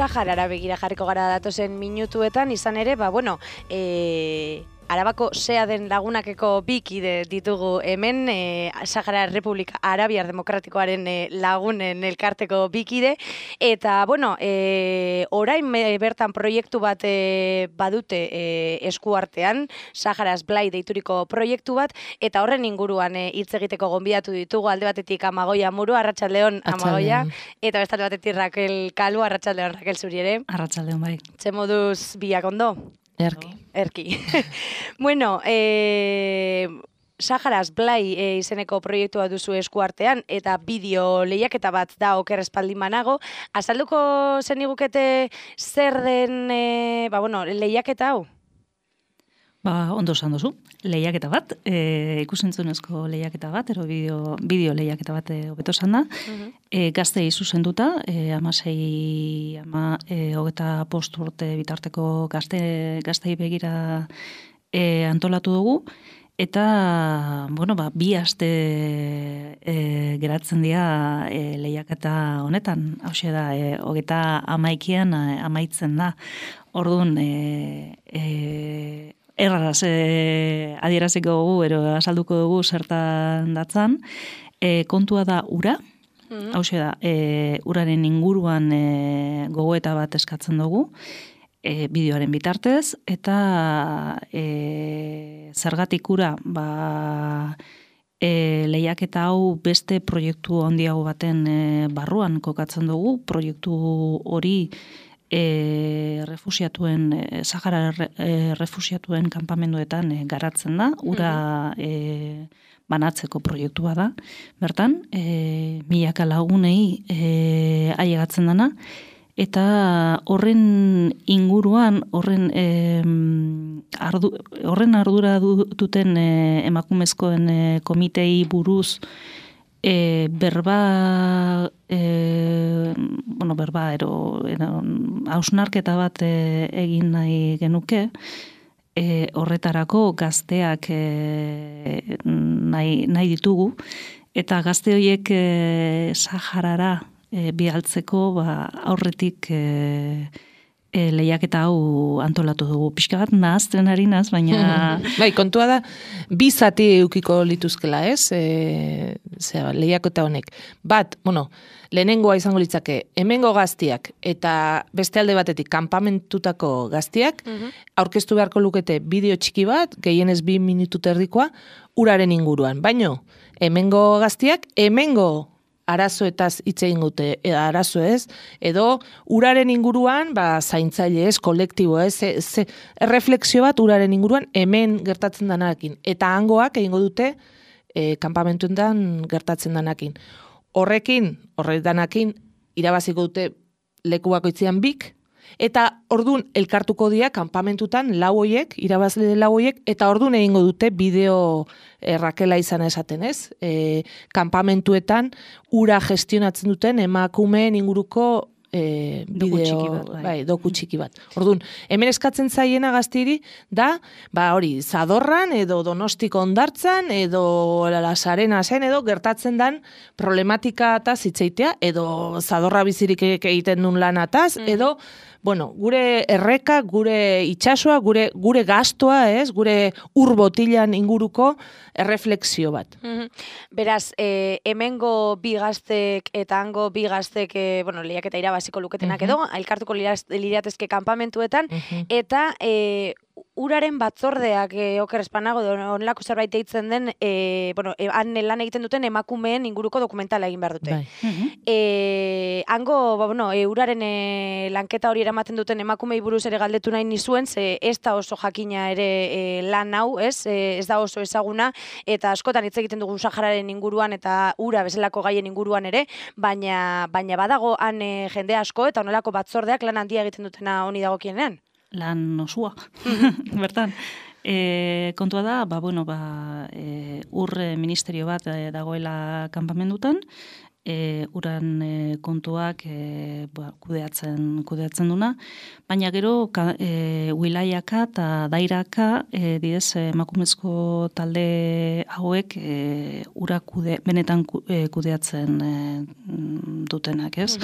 Saharara begira jarriko gara datozen minutuetan, izan ere, Arabako SEA den lagunakeko bi kide ditugu hemen, Sahara Republika Arabiar Demokratikoaren lagunen elkarteko bi kide, eta, orain bertan proiektu bat badute eskuartean, Saharaz Blai deituriko proiektu bat, eta horren inguruan hitz egiteko gonbidatu ditugu, alde batetik Amagoia Muru, Arratsaldeon Amagoia, eta bestalde batetik Raquel Kalu, Arratsaldeon Raquel zuri ere. Arratsaldeon bai. Ze moduz biak ondo? Erki. Saharaz Blai izeneko proiektua duzu eskuartean, eta bideo lehiaketa bat da oker espaldin banago. Azalduko zenigukete zer den lehiaketa hau? Ondo esan duzu. Lehiaketa bat, ikusentzunezko lehiaketa bat, ero bideo lehiaketa bat hobeto esan da. Gaztei zuzenduta, 16, 25 urte bitarteko gaztei begira antolatu dugu, eta, bi aste geratzen dira lehiaketa honetan. Hauxe da, 21 amaitzen da. Orduan, erraraz adieraziko dugu, azalduko dugu zertan datzan. Kontua da ura, hauxe da, uraren inguruan gogoeta bat eskatzen dugu, bideoaren bitartez, eta zergatik ura, lehiaketa hau beste proiektu handiago baten barruan kokatzen dugu, proiektu hori Sahara refusiatuen kanpamenduetan garatzen da, ura banatzeko proiektua da. Bertan, milaka lagunei ailegatzen dana, eta horren inguruan, horren ardura duten emakumezkoen komitei buruz berba hausnarketa bat egin nahi genuke, horretarako gazteak nahi ditugu, eta gazte horiek Saharara bidaltzeko aurretik lehiaketa hau antolatu dugu. Pixka bat nahazten ari naz, baina... Kontua da, bi zati eukiko lituzkela, ez? Lehiaketa honek. Lehenengoa izango litzake, hemengo gaztiak eta beste alde batetik kanpamentutako gaztiak, aurkeztu beharko lukete bideo txiki bat, gehienez 2 minutu erdikoa, uraren inguruan. Baino, hemengo gaztiak, hemengo arazoetaz hitz egin dute, arazo ez, edo uraren inguruan, zaintzaile ez, kolektibo ez, erreflexio bat uraren inguruan hemen gertatzen danakin. Eta hangoak egingo dute kanpamentuetan gertatzen danakin. Horretanakin, irabaziko dute leku bakoitzean bik, eta ordun elkartuko dira kanpamentutan irabazle lau hoiek, eta ordun egingo dute bideo Rakela izana esaten ez, kanpamentuetan ura gestionatzen duten emakumeen inguruko doku txiki bat. Orduan, hemen eskatzen zaiena gaztiri da, Zadorran edo Donostiko Hondartzan edo Lasarena zen edo gertatzen dan problematika eta zitzeitea, edo Zadorra bizirik egiten duen lanataz, edo gure erreka, gure itsasoa, gure gastoa, gure urbotilan inguruko erreflexio bat. Beraz, hemengo bi gaztek eta hango bi gaztek lehiaketa irabaziko luketenak edo, elkartuko liratezke kanpamentuetan, eta uraren batzordeak oker espanago, onelako zerbait eitzen den, han lan egiten duten emakumeen inguruko dokumentala egin behar dute. Hango, uraren lanketa hori eramaten duten emakumei buruz ere galdetu nahi nizuen, ze ez da oso jakina ere lan hau, ez da oso ezaguna, eta askotan hitz egiten dugu Sahararen inguruan eta ura bezalako gaien inguruan ere, baina badago han jende asko eta onelako batzordeak lan handia egiten dutena honi dagokienean. Lan osua, bertan. Kontua da, ur ministerio bat dagoela kanpamendutan, uran kontuak kudeatzen duna, baina gero wilaiaka eta dairaka didez emakumezko talde hauek ura benetan kudeatzen dutenak, ez?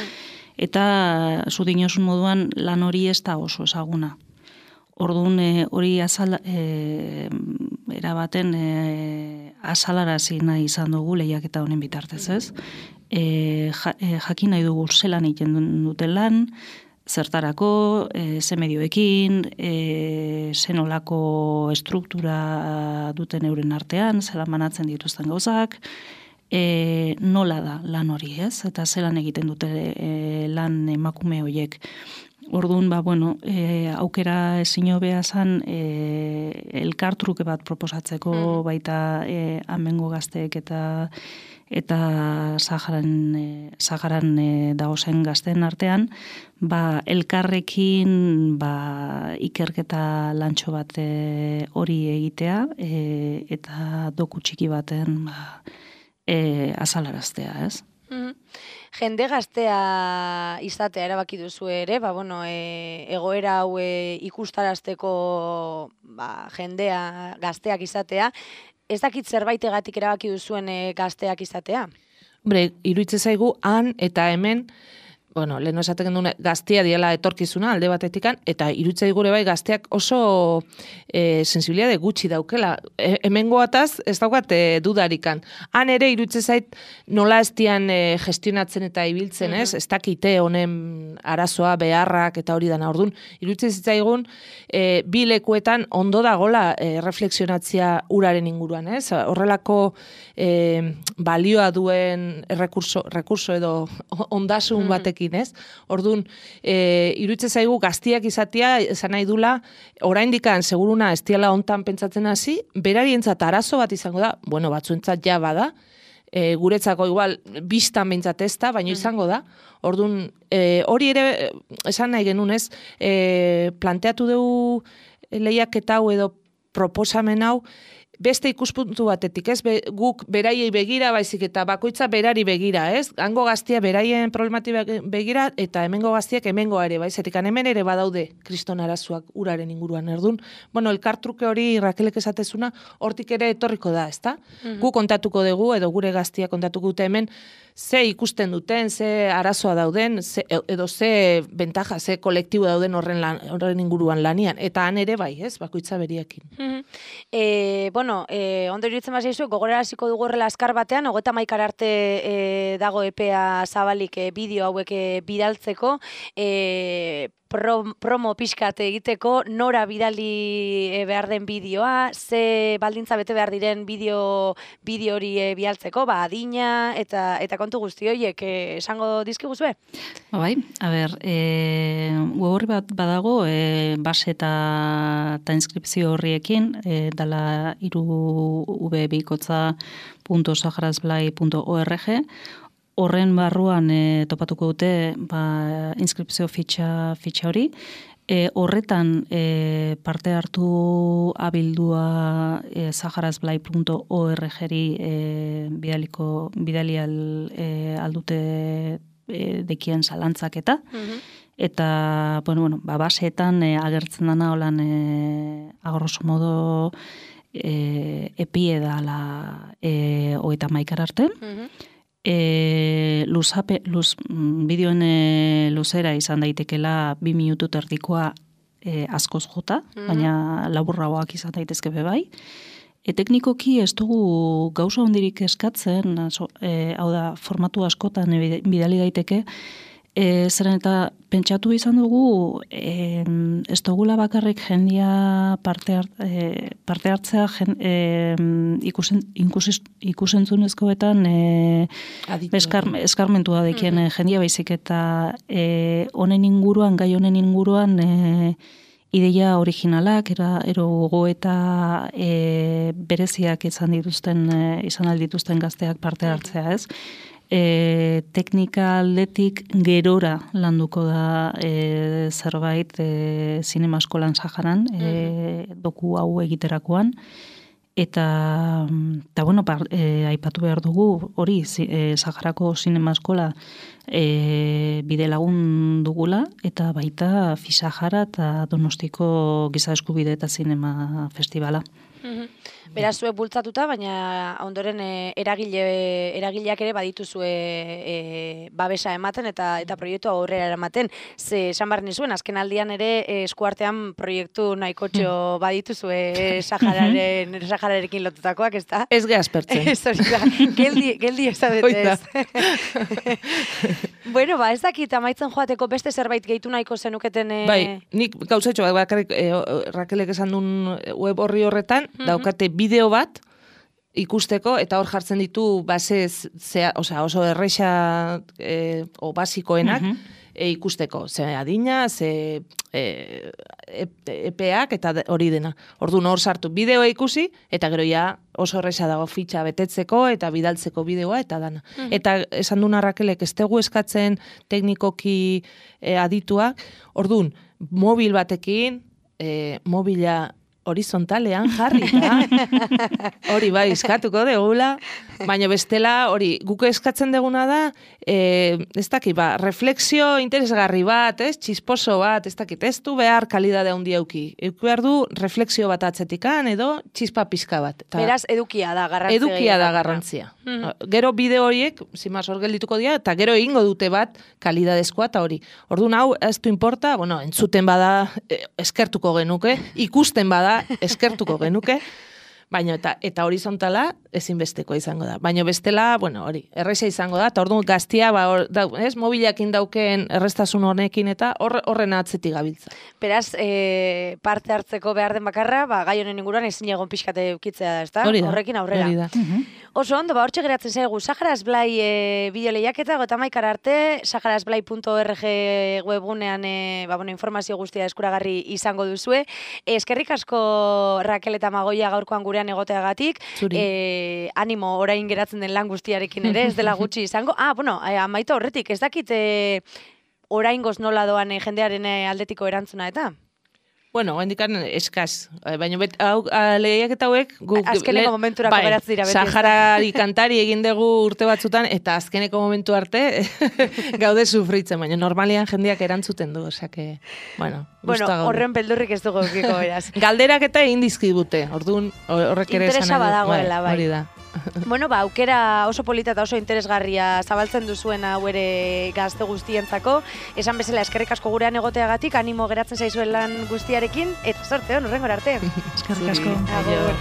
Eta zu dinosun moduan lan hori ez da oso ezaguna. Orduan hori erabaten azalarazi nahi izan dugu lehiaketa honen bitartez, ez? Jakin nahi dugu zelan egiten duten lan, zertarako, ze medioekin, zenolako estruktura duten euren artean, zelan banatzen dituzten gauzak, nola da lan hori, ez? Eta zelan egiten dute lan emakume horiek. Orduan, aukera ezin hobea zan elkartruke bat proposatzeko baita amengo gazteek eta Saharan dagozen gazteen artean, elkarrekin ikerketa lantxo bat hori egitea eta doku txiki baten azalaraztea, ez? Jende gaztea izatea erabaki duzu ere, egoera hau ikustarazteko jendea gazteak izatea, ez dakit zerbaitegatik erabaki duzuen gazteak izatea? Hombre, iruditzen zaigu han eta hemen, lehen esaten duen gaztea diela etorkizuna alde batetikan, eta iruditzen gure bai gazteak oso sensibilitate gutxi daukela. Hemengoataz ez daukat dudarikan. Han ere iruditzen zait nola ez dian gestionatzen eta ibiltzen, ez? Ez dakite honen arazoa, beharrak eta hori dana. Orduan, iruditzen zitzaigun bi lekuetan ondo dagola reflexionatzea uraren inguruan, ez? Horrelako balioa duen rekurso edo ondasun batekin, ez? Orduan, iruditzen zaigu gaztiak izatea, esan nahi dula, oraindikan seguruna ez diala hontan pentsatzen hasi, berarientzat arazo bat izango da, batzuentzat ja bada, guretzako igual bistan behintzat ez da, baina izango da. Orduan, hori ere, esan nahi genuen, ez? Planteatu dugu lehiaketa hau edo proposamen hau, beste ikuspuntu batetik, ez? Guk beraiei begira, baizik eta bakoitza berari begira, ez? Hango gaztia beraien problematik begira, eta hemengo gaztiak hemengoa ere, baizetik hemen ere badaude kriston arazoak uraren inguruan, erdun. Elkartruke hori Rakelek esatezuna, hortik ere etorriko da, ezta? Gu kontatuko dugu, edo gure gaztia kontatuko dute hemen, ze ikusten duten, ze arazoa dauden, edo ze bentaja, ze kolektibo dauden horren inguruan lanian. Eta han ere bai, ez? Bakoitza beriekin. Ondo iruditzen bazaizu, gogoraraziko dugu horrela azkar batean, 31 arte dago epea zabalik bideo hauek bidaltzeko, promo pixkat egiteko, nora bidali behar den bideoa, ze baldintza bete behar diren bideo hori bidaltzeko, adina eta kontu guzti horiek esango dizkiguzue? Bai, a ber, horri bat badago, base eta inskripzio horriekin, dala irubikotza.saharasblai.org, horren barruan topatuko dute inskripzio fitxa hori. Horretan parte hartu abildua saharasblai.org-ri bidali aldute dekien zalantzaketa. Eta, baseetan agertzen dana holan agorroso modo epie dala 31 arte. Bideoen luzera izan daitekela 2 minutu terdikoa askoz jota, baina laburragoak izan daitezke bai. Teknikoki ez dugu gauza hondirik eskatzen, hau da, formatu askotan bidali daiteke, zeren eta pentsatu izan dugu, ez dugula bakarrik jendia parte hartzea ikusentzunezkoetan eskarmentua dekien jendia baizik eta honen inguruan, gai honen inguruan ideia originalak, ero gogoeta bereziak izan aldituzten gazteak parte hartzea, ez? Teknika aldetik gerora landuko da zerbait zinema eskolan Saharan, doku hau egiterakoan. Eta aipatu behar dugu, hori, Saharako zinema eskola bide lagun dugula, eta baita Fisahara eta Donostiko Giza Eskubide eta Zinema Festivala. Beraz, zuek bultzatuta, baina ondoren eragileak ere badituzue babesa ematen eta proiektua aurrera eramaten. Ze esan behar nizuen, azken aldian ere eskuartean proiektu nahikotxo badituzue Sahararekin lotutakoak, ez da? Ez gehazpertzen. Ez hori da, geldi ez da betez. Bueno, ez dakit amaitzen joateko beste zerbait gehitu nahiko zenuketen... Bai, nik gauzatxo, bakarrik Rakelek esan duen web horri horretan, daukate bideo bat ikusteko, eta hor jartzen ditu oso erresa o basikoenak ikusteko. Ze adina, ze epeak eta hori dena. Orduan hor sartu bideoa ikusi, eta gero ja oso erresa dago fitxa betetzeko eta bidaltzeko bideoa eta dana. Eta esan duna Rakelek ez tegu eskatzen teknikoki adituak, orduan mobil batekin, mobila horizontalean jarri, hori bai, eskatuko degula, baina bestela, hori, guk eskatzen deguna da, ez dakit, refleksio interesgarri bat, txisposo bat, ez dakit, ez du behar kalidade handi auki. Euki behar du refleksio bat atzetikan, edo txispa pizka bat. Beraz, edukia da garrantzia. Edukia da garrantzia. Gero bideo horiek, zimaz hor geldituko dira, eta gero egingo dute bat kalidadezkoa, eta hori. Orduan hau, ez du importa, bueno, entzuten bada eskertuko genuke, ikusten bada eskertuko genuke, baina eta horizontala ezinbesteko izango da. Baina bestela, bueno, hori, erresa izango da, eta orduan gaztia, mobilakin dauken errestasun honekin eta horren atzetik gabiltza. Beraz, parte hartzeko behar den bakarra, gai honen inguruan ezin egon pixkate ukitzea da, ez da? Horrekin aurrera. Hori da. Oso ondo, hortxe geratzen zaigu, Saharaz Blai bideo lehiaketa, 31 arte, saharazblai.org webgunean informazio guztia eskuragarri izango duzue. Eskerrik asko Rakel eta Magoia gaurkoan gurean egoteagatik. Animo orain geratzen den lan guztiarekin ere, ez dela gutxi izango. Amaitu horretik, ez dakit oraingoz nola doan jendearen aldetiko erantzuna eta? Bueno, hendikan eskaz, baina lehiak eta hauek... Azkeneko momenturako geratzen dira beti. Saharari kantari egin dugu urte batzutan, eta azkeneko momentu arte gaude sufritzen, baina normalian jendeak erantzuten du, osake, bueno, horren beldurrik ez dugu eukiko beraz. Galderak eta egin dizkibute, orduan horrek ere esan. Interesa badagoela, bai. Hori da. Bueno, aukera oso polita eta oso interesgarria zabaltzen duzuen hau ere gazte guztientzako. Esan bezala eskerrik asko gurean egoteagatik, animo geratzen zaizuen lan guztiarekin, eta sorte hon, hurrengora arte. Eskerrik asko. Agur.